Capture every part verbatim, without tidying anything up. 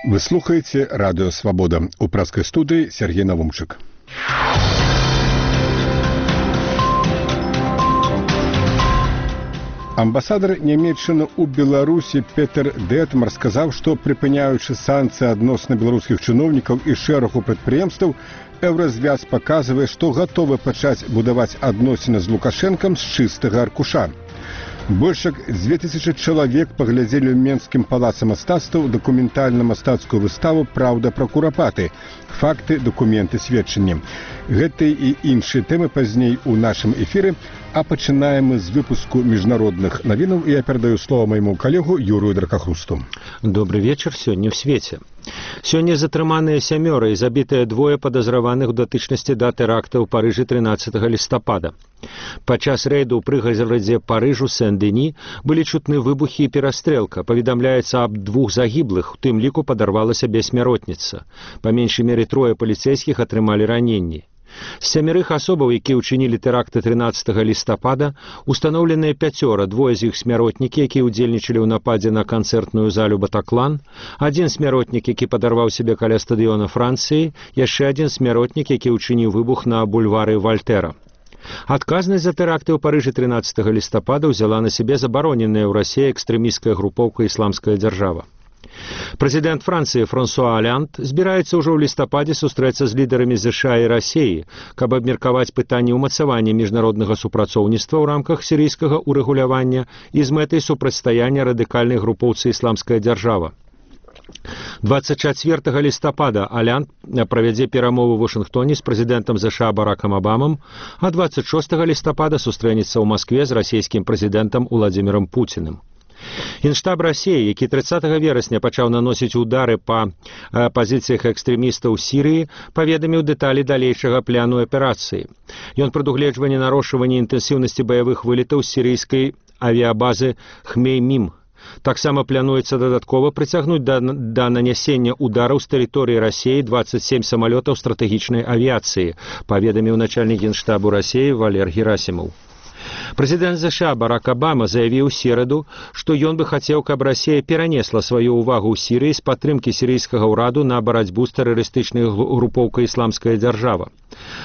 Вы слухаете «Радио Свобода». У пражской студии Сергей Навумчик. Амбасадар Нямецчыны ў Беларусі Петер Детмар сказаў, што прыпыняючы санкцыі адносна беларускіх чыноўнікаў і шэрагу прадпрыемстваў, Еўразвяз паказвае, што гатовы пачаць будаваць адносіны з Лукашэнкам з чыстага аркуша. Больш як дзве тысячы чалавек паглядзелі ў Менскім палацы мастацтваў дакументальна-мастацкую выставу «Праўда пра курапаты. Факты, дакументы, сведчанні». Гэтыя і іншыя тэмы пазней у нашым эфіры, а пачынаем мы з выпуску міжнародных навінаў, і я перадаю слово майму калегу Юрию Дракахрусту. Добрый вечер, сёння ў свеце. Сёння затрыманыя сямёра і забітыя двое падазраваных у датычнасці да тэракта ў Парыжы трынаццатага лістапада. Падчас рэйду ў прыгарадзе Парыжу Сен-Дені былі чутны выбухі і перастрэлка. Паведамляецца аб двух загіблых, у тым ліку падарвала сябе смяротніца. Па меншай меры трое паліцэйскіх атрымалі раненні. З сямерых асобаў, якія ўчынілі тэракты трынаццатага лістапада, устаноўленыя пяцёра, двое з іх смяротнікі, якія ўдзельнічалі ў нападзе на канцэртную залю «Батаклан», адзін смяротнік, які падарваў сябе каля стадыёна Францыі, яшчэ адзін смяротнік, які ўчыніў выбух на бульвары Вальтэра. Адказнасць за тэракты ў Парыжы трынаццатага лістапада ўзяла на сябе забароненая ў Расіі экстрэмісцкая групоўка «Ісламская дзяржава». Прэзідэнт Францыі Франсуа Алянт збіраецца ўжо ў лістападзе сустрэцца з лідарамі ЗША і Расіі, каб абмеркаваць пытанне ўмацавання міжнароднага супрацоўніцтва ў рамках сірыйскага ўрэгулявання і з мэтай супрацьстаяння радыкальнай групоўцы «Ісламская дзяржава». дваццаць чацвёртага лістапада Алянт правядзе перамовы ў Вашынгтоне з прэзідэнтам ЗША Баракам Абамам, а дваццаць шостага лістапада сустрэнецца ў Маскве з расійскім прэзідэнтам Уладзімірам Пуціным. Генштаб Расіі, які трыццатага верасня пачаў наносіць удары па пазіцыях экстрэмістаў у Сірыі, паведаміў дэталі далейшага пляну аперацыі. Ён прадугледжвае нарошчванне інтэнсіўнасці баявых вылетаў з сірыйскай авіябазы Хмеймім. Таксама плануецца дадаткова прыцягнуць да, да нанясення удараў з тэрыторыі Расіі дваццаць сем самалётаў стратэгічнай авіяцыі, паведаміў начальнік генштабу Расіі Валер Герасімаў. Прэзідэнт ЗША Барак Абама заявіў у сераду, што ён бы хацеў, каб Расія перанесла сваю ўвагу ў Сірыі з падтрымкі сірыйскага ўраду на барацьбу з тэрарыстычнай групоўкай «Ісламская дзяржава».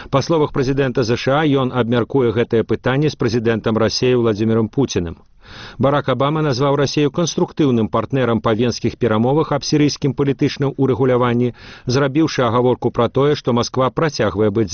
Па словах прэзідэнта ЗША, ён абмяркуе гэтае пытанне з прэзідэнтам Расіі Уладзімірам Пуціным. Барак Абама назваў Расію канструктыўным партнерам па венскіх перамовах аб сірыйскім палітычным урэгуляванні, зрабіўшы агаворку пра тое, што Масква працягвае быць